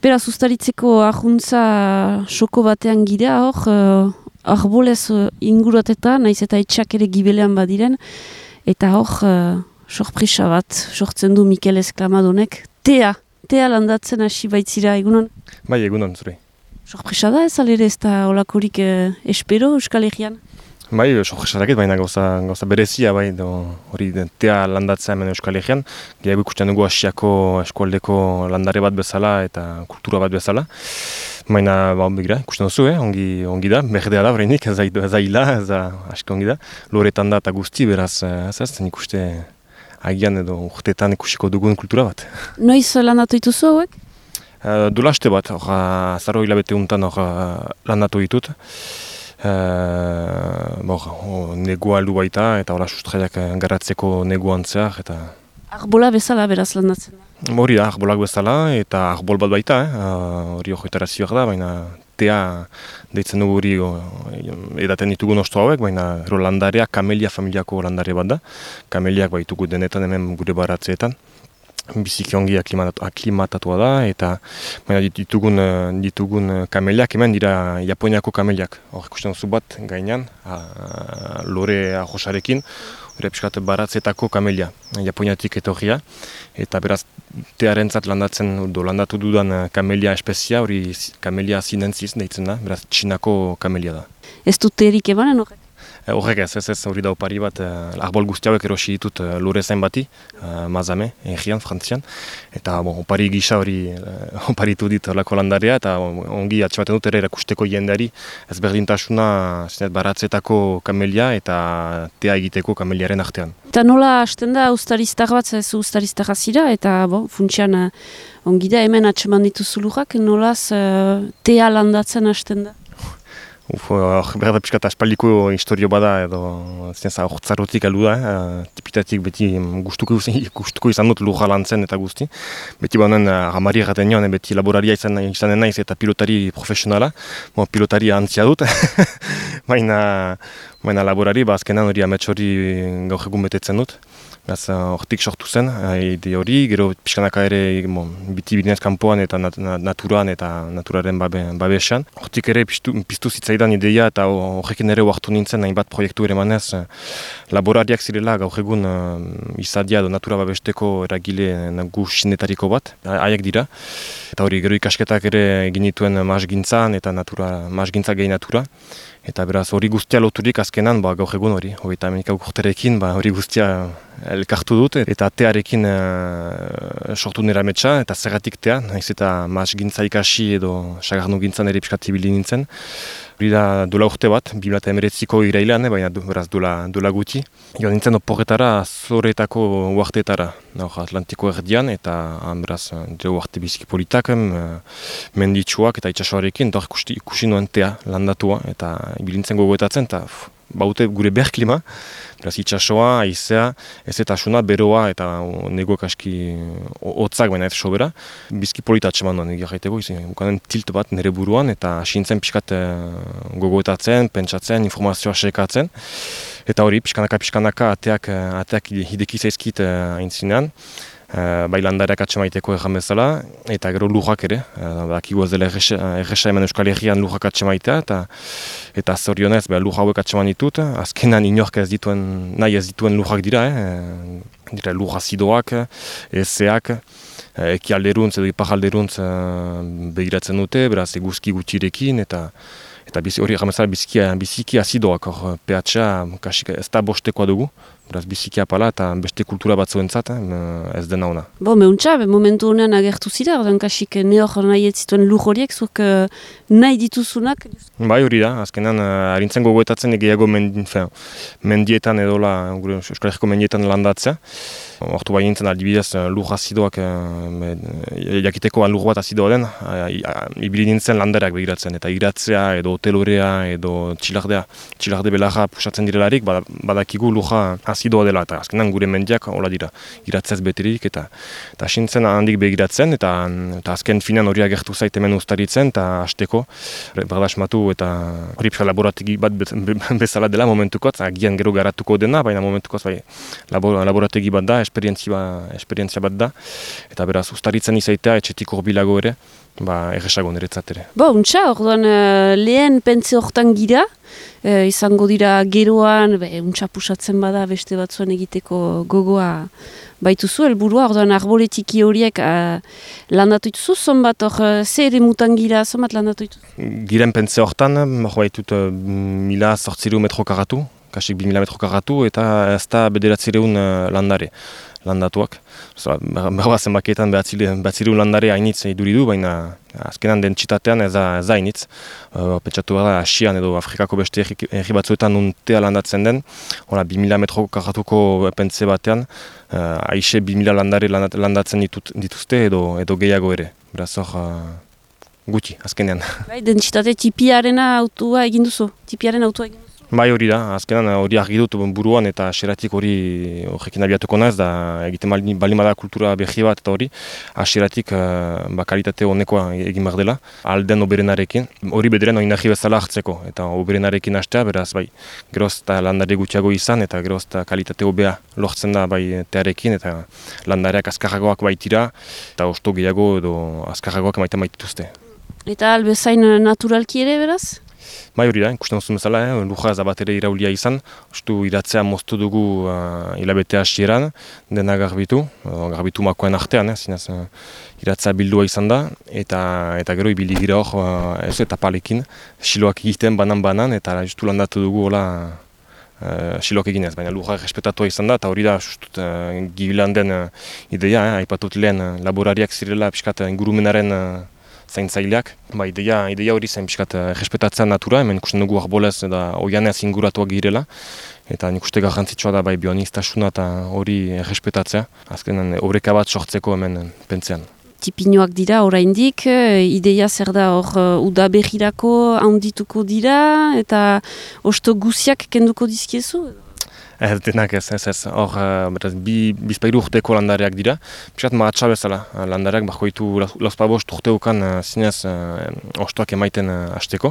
Beraz, ustaritzeko ahuntza soko batean gira hor, arbolez inguratetan, naiz eta etxak ere gibelean badiren, eta hor, sorpresa bat sortzen du Mikel Esklamadonek, tea landatzen hasi baitzira egunon? Bai, egunon, zure. Sorpresa da ez alere ez da olakorik espero Euskal Herrian? Bai, sorpresa dakit, baina gauza berezia, bai, hori tea landatzea hemen Euskal Herrian. Gehiago ikusten dugu Asiako eskualdeko landare bat bezala eta kultura bat bezala. Baina, begira, ikusten duzu, ongi da, berdea da, bereinik, ez da hila, ez da aski ongi da. Loretan da eta guzti, beraz, ez ikuste agian edo urteetan ikusiko dugun kultura bat. Noiz landatu dituzu hauek? Duela aste bat, azaro hilabete untan landatu ditut. Negua heldu baita eta hola sustraiak garatzeko neguan zehar eta... Arbola bezala beraz landatzen da? Hori da, arbolak bezala eta arbol bat baita, hori horietara zioak da, baina tea deitzen dugu hori edaten ditugu nostu hauek, baina landarea kamelia familiako landare bat da. Kameliak baitugu denetan hemen gure baratzeetan. Biziki ongi aklimatatua da eta ditugun kameliak hemen dira Japoniako kameliak. Hor ikusten duzu bat gainean, lore ahosarekin, hori pixkat baratzetako kamelia, Japoniatik etorria. Eta beraz tearentzat landatu dudan kamelia espezia, hori kamelia sinensis deitzen da, beraz Txinako kamelia da. Ez dut terik emanen horrek? Horrek ez hori da opari bat, arbol guzti hauek erosi ditut lore zain bati, Mazame, Egean, Frantzian. Eta opari gisa hori oparitu dit lako landarea eta ongi atxematen dut ere erakusteko jendeari ezberdintasuna baratzetako kamelia eta tea egiteko kameliaren artean. Eta nola hasten da ustariztar bat, ez ustariztar zira eta funtsian ongi da hemen atxeman dituzu lujak, nolaz tea landatzen hasten da? Berda pixkat aspaldiko historio bada edo hortzarotik alu da, tipitatik beti gustuko izan dut lurra lantzen eta guzti. Beti banen ramari erraten joan, beti laboraria izanen naiz eta pilotari profesionala, pilotari antzia dut, baina laborari azkenan hori amets hori gaur egun betetzen dut. Hortik sortu zen, ide hori, gero pixkanaka ere biti bidinez kanpoan eta naturan eta naturaren babesan. Hortik ere piztu zitzaidan ideia eta horrekin ere oartu nintzen hainbat proiektu ere manez laborariak zirela gaur egun izadia edo natura babesteko eragile nagusinetariko bat, haiek dira. Eta hori gero ikasketak ere egin dituen maasgintzan eta maasgintza gehi natura. Eta beraz hori guztia loturik azkenan gaur egun hori, hogeita hemenika urterekin hori guztia elkartu dut eta tearekin sortu nire ametsa eta zergatik tea, nahiz eta maasgintza ikasi edo sagarnu gintzan ere pixkat ibili nintzen. Hori da dola urte bat, 2019ko irailean, baina beraz dola guti. Joan nintzen oporretara, Zoretako uarteetara, Atlantiko erdian, eta beraz uarte biziki politak, menditsuak eta itsasoarekin, eta ikusi nuen tea landatua, eta ibilintzen gogoetatzen, eta baute gure berklima, beraz itsasoa, haizea, ezetasuna, beroa eta negoek aski hotzak baina ez sobera. Bizki polita atseman duen egia jaiteko, bukanen tilt bat nire buruan eta asintzen pixkat gogoetatzen, pentsatzen, informazioa sekatzen. Eta hori, pixkanaka ateak hideki zaizkit aintzinean. Bai landareak atxemaiteko erran bezala, eta gero lujak ere, dakigu ez dela erresa hemen Euskal Herrian lujak atxemaitea, eta zorionez luja hauek atxeman ditut, azkenan inork nahi ez dituen lujak dira, dira luja zidoak, ezeak, ekialderuntz edo iparalderuntz begiratzen dute, beraz eguzki gutxirekin, eta hori erran bezala biziki azidoak, pH ez da bostekoa dugu, beraz biziki apala eta beste kultura batzuentzat ez dena ona. Meuntza, momentu honean agertu zira, ordan kasik nehor nahi ez zituen lur horiek, zuk nahi dituzunak? Bai hori da, azkenan harintzen gogoetatzen gehiago mendietan edola, gure Euskal Herriko mendietan landatzea. Hortu bai nintzen aldibidez lur azidoak, jakiteko lur bat azidoa den, ibili nintzen landareak begiratzen, eta iratzea edo hotelorea edo txilarde belarra pusatzen direlarik, badakigu lurra azidoa dela, eta azkenan gure mendiak hola dira, iratzez beterik, eta asintzen handik begiratzen, eta azken finan hori agertu zait hemen ustaritzen, eta hasteko berdasmatu, eta hori pixka laborategi bat bezala dela momentukot, agian gero garatuko dena, baina momentukot laborategi bat da, esperientzia bat da, eta beraz ustaritzen izaitea etxetik urbilago ere, erresago niretzat ere. Untxa, orduan lehen pentze hortan gira, izango dira geroan, untxa pusatzen bada beste batzuan egiteko gogoa baituzu, helburua, orduan arboletiki horiek landatu dituzu, zonbat hor, ze ere mutan gira, zonbat landatu dituzu? Giren pentze hortan, baitut 1.800 metro karratu, kasik 2.000 metro karratu, eta ez da 900 landare landatuak. Berba zenbaketan 900 landare hainitz iduridu, baina azkenan dentsitatean ez da hainitz. Pentsatu da Asian edo Afrikako beste herri batzuetan nuntea landatzen den, 2.000 metro karratuko pentze batean, aixe 2.000 landare landatzen dituzte edo gehiago ere. Beraz hor gutxi, azkenean. Dentsitate tipiarena autua egin duzu? Tipiaren autua egin duzu? Bai hori da, azkenan hori argi dut buruan eta xeratik horrekin abiatuko naiz, da egiten balima da kultura berri bat eta hori, xeratik kalitate honekoa egin behar dela, alden oberenarekin, hori bederen oinarri bezala hartzeko, eta oberenarekin hastea, beraz bai, geroz eta landare gutxiago izan, eta geroz eta kalitate hobea lortzen da bai tearekin, eta landareak azkarragoak baitira, eta osto gehiago edo azkarragoak maiten baitituzte. Eta albezain naturalki ere beraz? Bai hori da, ikusten duzun bezala, luja ez bat ere iraulia izan, ustu iratzea moztu dugu hilabete hasieran, dena garbitu makoen artean, zinez iratzea bildua izan da, eta gero ibili gira hor, ez eta palekin, siloak egiten banan, eta justu landatu dugu hola siloak eginez, baina luja respetatua izan da, eta hori da justut gibilan den ideia, aipatut lehen laborariak zirela pixkat ingurumenaren zaintzaileak. Ideia hori zen pixkat respetatzea natura, hemen ikusten dugu arbolez eta oianez inguratuak girela. Eta nik uste garrantzitsua da bioaniztasuna eta hori respetatzea. Azkenan obreka bat sortzeko hemen pentzean. Tipinoak dira oraindik, ideia zer da hor udaberrirako handituko dira eta osto guziak kenduko dizkiezu? Denak ez. Hor, bizpairu urteko landareak dira. Piskat mahatsa bezala, landareak bakoitu lauzpabost urteukan zinez ostoak emaiten hasteko.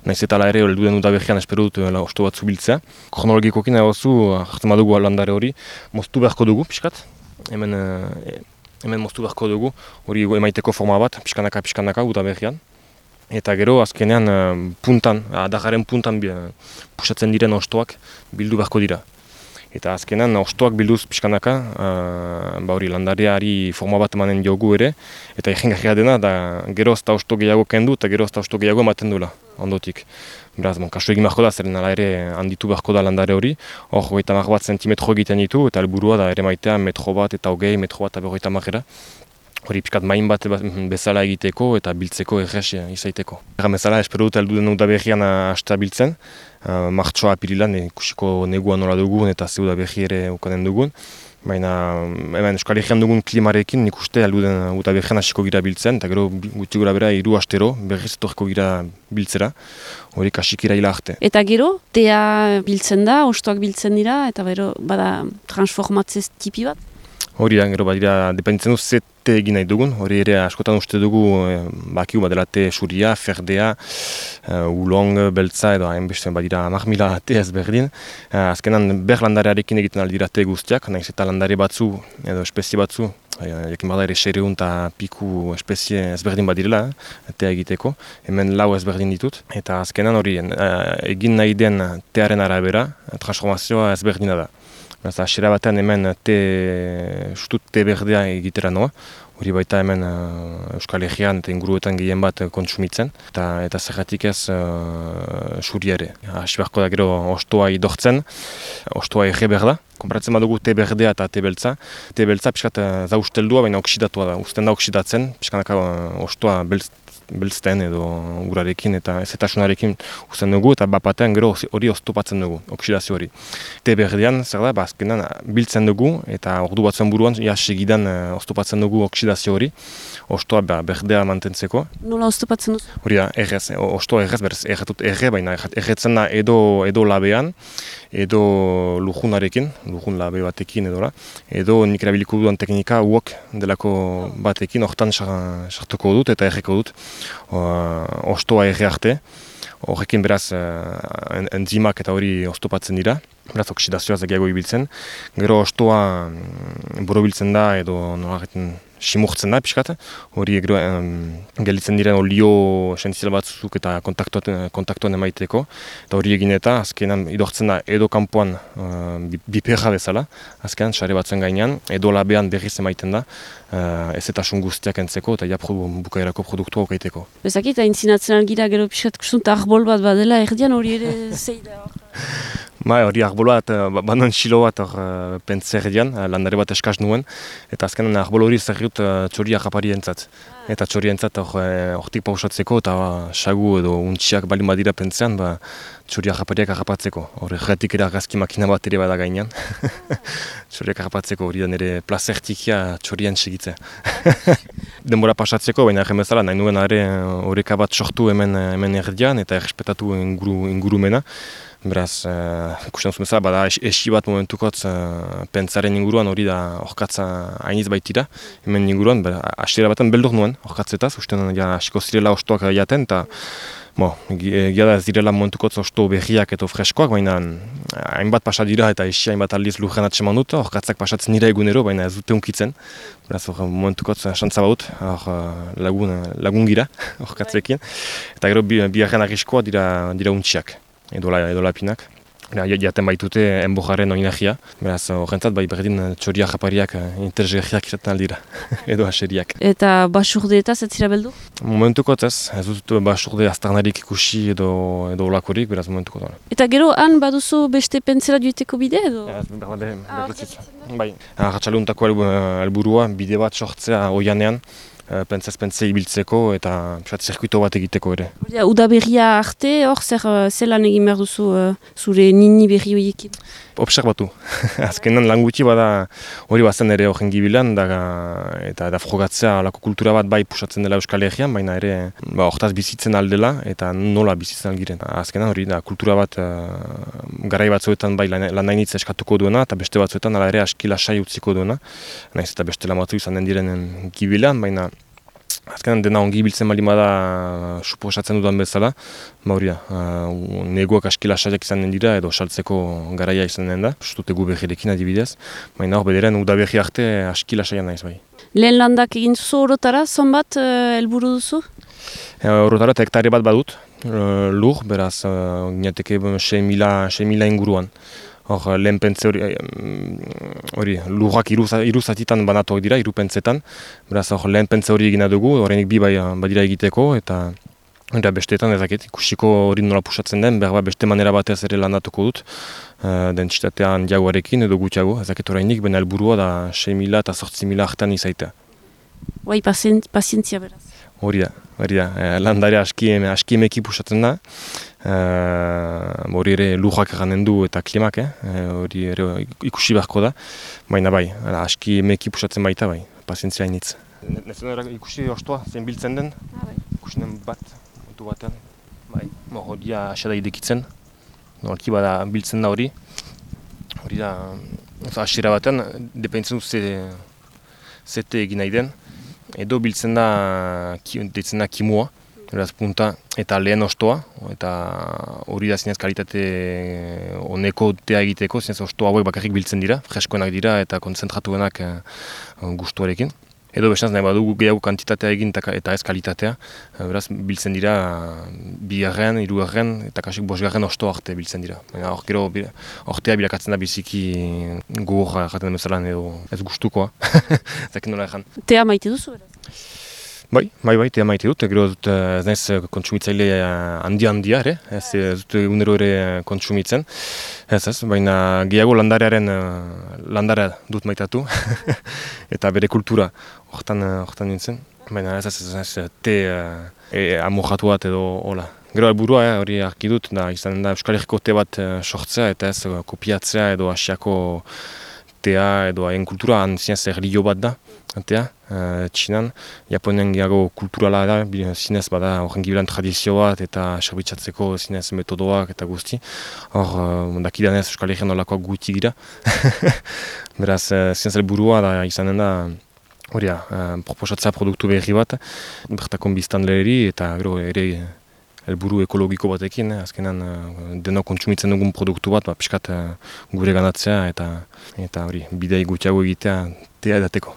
Naiz eta ala ere, helduen udaberrian espero dut osto bat zubiltzea. Kronologikokin egozu, hartzen badugu landare hori, moztu beharko dugu, piskat. Hemen moztu beharko dugu, hori emaiteko forma bat, piskanaka udaberrian. Eta gero, azkenean puntan, adagaren puntan pusatzen diren ostoak bildu beharko dira. Eta azkenan ostoak bilduz pixkanaka, landareari forma bat emanen diogu ere, eta egingarria dena, da geroz eta osto gehiago kendu eta geroz eta osto gehiago ematen duela, ondotik. Beraz, kasu egin beharko da, zeren ala ere handitu beharko da landare hori, hor 30 bat zentimetro egiten ditu, eta helburua da ere maitea metro bat eta hogei, metro bat eta 50 hori pixkat main bat bezala egiteko eta biltzeko errez izaiteko. Bezala, espero dut heldu den udaberrian hastea biltzen, martxoa apirilan ikusiko negua nola dugun eta ze udaberri ere ukanen dugun. Baina hemen Euskal Herrian dugun klimarekin nik uste heldu den udaberrian hasiko gira biltzen, eta gero gutxi gora bera 3 astero berriz etorriko gira biltzera, hori kasik iraila arte. Eta gero, tea biltzen da, ostoak biltzen dira, eta gero bada transformatzez tipi bat? Hori da, gero badira, dependitzen du ze te egin nahi dugun, hori ere askotan uste dugu bakiu badela te suria, ferdea, ulong, beltza edo hainbeste badira 10.000 te ezberdin. Azkenan landarearekin egiten aldira te guztiak, nahiz eta landare batzu edo espezie batzu, jakin bada ere 600 eta piku espezie ezberdin badirela, tea egiteko, hemen 4 ezberdin ditut. Eta azkenan hori egin nahi den tearen arabera, transformazioa ezberdina da. Hasiera batean hemen te berdea egitera noa, hori baita hemen Euskal Herrian eta inguruetan gehien bat kontsumitzen, eta zergatik ez suri ere. Hasi beharko da gero ostoa idortzen, ostoa erre berda, konparatzen badugu te berdea eta te beltza. Te beltza pixkat zausteldua, baina oksidatua da, uzten da oksidatzen, pixkanaka ostoa beltzten edo urarekin eta ezetasunarekin uzten dugu eta bapatean gero hori oztopatzen dugu, oksidazio hori. Te berdean, zer da, azkenan biltzen dugu eta ordu batzuen buruan segidan oztopatzen dugu oksidazio hori, ostoa berdea mantentzeko. Nola oztopatzen duzu? Hori da, errez, ostoa errez, berez, erre, baina erretzen da edo labean, edo lujunarekin, lujun labe batekin edo nik erabiliko dudan teknika wok delako batekin, hortan sartuko dut eta erreko dut. Ostoa erre arte, horrekin beraz enzimak eta hori oztopatzen dira, beraz oksidazioa gehiago ibiltzen. Gero ostoa borobiltzen da edo nolagaten simurtzen da pixkat, hori gero gelditzen diren olio esenzial batzuk eta kontaktuan emaiteko, eta hori egin eta azkenan idortzen da edo kanpoan biperra bezala, azkenan sare batzuen gainean, edo labean berriz emaiten da, ezetasun guztiak entzeko eta bukaerako produktua okaiteko. Bezakit, aintzinatzen algira gero pixkat kustunt arbol bat badela, erdian hori ere zei da. Hori arbol bat, banon xilo bat pentsa erdian, landare bat eskaz nuen, eta azkenan arbol hori zerriut txori agaparientzat. Eta txorientzat hortik pausatzeko eta sagu edo untxiak balin badira pentsean, txori agapariak agapatzeko. Hori erratik ere argazki makina bat ere bada gainean. Txoriak agapatzeko hori da nire plazertikia txorien segitzea. Denbora pasatzeko, baina erren bezala, nahi nuen horreka bat sortu hemen erdian eta errespetatu ingurumena. Beraz, ikusten duzu bezala, bada esi bat momentukotz pentsaren inguruan hori da orkatza hainiz baitira. Hemen inguruan, hasiera baten beldur nuen orkatzetaz, usten hasiko zirela ostoak jaten, eta egia da ez direla momentukotz osto berriak eta freskoak, baina hainbat pasa dira eta esi hainbat aldiz lurren atseman dut, orkatzak pasatzen dira egunero, baina ez dute unkitzen. Beraz, momentukotz xantza baut, lagun gira orkatzekin, eta gero biharren arriskoa dira untxiak. Edo lapinak. Jaten baitute enbojaren oinagia. Beraz, horrentzat berdin txoria japariak interesgarriak izaten aldira. Edo aseriak. Eta basurdeetaz ez zira beldu? Momentukot ez dut basurde aztarnarik ikusi edo olakorik, beraz momentukot. Eta gero han baduzu beste pentsera dueteko bide edo? Bai, ratxaluntako helburua bide bat sortzea oianean. Pentsaz-pentsa ibiltzeko eta zirkuito bat egiteko ere. Uda berria arte, hor zelan egin behar duzu zure nini berri horiekin? Obserbatu. Azkenan lan gutxi bada hori bazen ere horren gibilan eta frogatzea alako kultura bat bai pusatzen dela Euskal Herrian, baina ere hortaz bizitzen aldela eta nola bizitzen algiren. Azkenan hori da kultura bat garai batzuetan bai lan nainitza eskatuko duena eta beste batzuetan ala ere aski lasai utziko duena. Naiz eta beste lamatu izan den direnen gibilan, baina azkenan dena ongi biltzen bali bada suposatzen dudan bezala, neguak aski lasaiak izan den dira edo saltzeko garaia izan den da, ustute gu berrirekin adibidez, baina hor bederen uda berri arte aski lasaian naiz bai. Lehen landak egin zuzu orotara, zonbat helburu duzu? Orotara eta hektare bat badut, lur, beraz, ginateke 6.000 inguruan. Hor, lehen pentze hori, lurrak iruzatitan banatuak dira, irupentzetan. Beraz, hor, lehen pentze hori egina dugu, horrenik bi badira egiteko, eta besteetan ezakit, ikusiko hori nola pusatzen den, behar beste manera batez ere landatuko dut, dentsitatean diagoarekin edo gutxiago, ezakit horreinik, baina helburua da 6.000 eta 8.000 artean izaita. Bai, pazientzia beraz. Hori da, landare aski emeki pusatzen da. Hori ere lujak eranen du eta klimak, hori ere ikusi beharko da, baina bai, aski emeki pusatzen baita bai, pazientzia hainitz. Nezen ikusi ostoa, zein biltzen den, ikusi den bat, montu batean, bai, hori da asada idekitzen, nolki bada biltzen da hori da, hasiera batean, dependitzen du zete egin nahi den, edo biltzen da kimua, beraz punta eta lehen ostoa, eta hori da zinez kalitate oneko tea egiteko, zinez ostoa hauek bakarrik biltzen dira, freskoenak dira eta konzentratuenak gustuarekin. Edo bestanz nahi badugu gehiago kantitatea egin eta ez kalitatea, beraz biltzen dira 2., 3. eta kasik 5. ostoa arte biltzen dira. Baina hor gero ortea bilakatzen da biziki gogorra jaten demezalan edo ez gustukoa, zakin nola ezan. Tea maite duzu beraz? Bai, tea maite dut, gero dut ez naiz kontsumitzaile handia ere, ez dut egunero ere kontsumitzen, baina gehiago landarea dut maitatu, eta bere kultura hortan nintzen, baina ez te amorratu bat edo hola. Gero helburua hori argi dut, izan da Euskal Herriko te bat sortzea eta ez kopiatzea edo Asiako tea edo haien kultura zinez erlijio bat da. Txinan, Japonen gehiago kulturala da, zinez bada horren gibilan tradizio bat eta serbitzatzeko zinez metodoak eta guzti. Hor, dakidanez Euskal Herrian nolakoak guti gira. Beraz, zinez helburua da izanen da, hori da, proposatzea produktu berri bat, bertakon biztanleri eta gero ere helburu ekologiko batekin, azkenan denok kontsumitzen dugun produktu bat, pixkat gure ganatzea eta hori, bidei gutxiago egitea tea edateko.